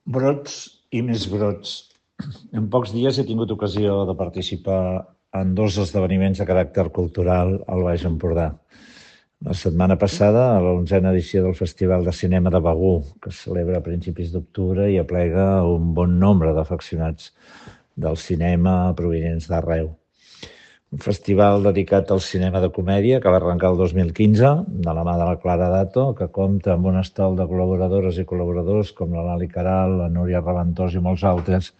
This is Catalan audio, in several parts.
Brots i més brots. En pocs dies he tingut ocasió de participar en 2 esdeveniments de caràcter cultural al Baix Empordà. La setmana passada, a la 11a edició del Festival de Cinema de Begur, que es celebra a principis d'octubre i aplega un bon nombre d'afeccionats del cinema provinents d'arreu. Un festival dedicat al cinema de comèdia que va arrencar el 2015, de la mà de la Clara Dato, que compta amb un estol de col·laboradores i col·laboradors com la Lali Queralt, la Núria Raventós i molts altres,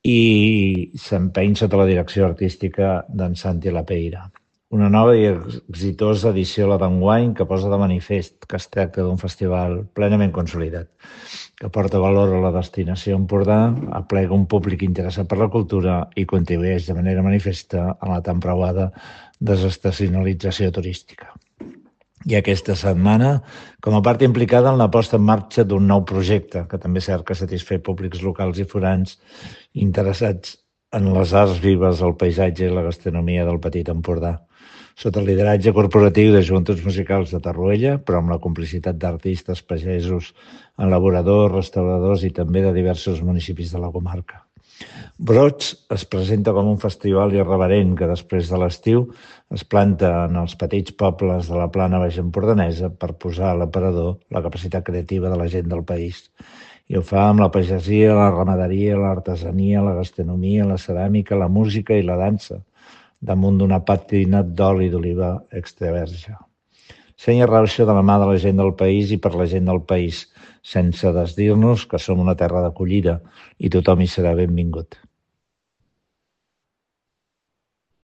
i s'empeny sota la direcció artística d'en Santi Lapeira. Una nova i exitosa edició, la d'enguany, que posa de manifest que es tracta d'un festival plenament consolidat, que porta valor a la destinació Empordà, aplega un públic interessat per la cultura i contribueix de manera manifesta a la tan preuada desestacionalització turística. I aquesta setmana, com a part implicada en la posta en marxa d'un nou projecte, que també cerca satisfer públics locals i forans interessats en les arts vives, el paisatge i la gastronomia del Petit Empordà, sota el lideratge corporatiu de Joventuts Musicals de Tarruella, però amb la complicitat d'artistes, pagesos, elaboradors, restauradors i també de diversos municipis de la comarca. Brots es presenta com un festival irreverent que després de l'estiu es planta en els petits pobles de la plana baixempordanesa per posar a l'aparador la capacitat creativa de la gent del país. I ho fa amb la pagesia, la ramaderia, l'artesania, la gastronomia, la ceràmica, la música i la dansa, damunt d'una pàtina d'oli d'oliva extraverge. Senya rauxa de la mà de la gent del país i per la gent del país, sense desdir-nos que som una terra d'acollida i tothom hi serà benvingut.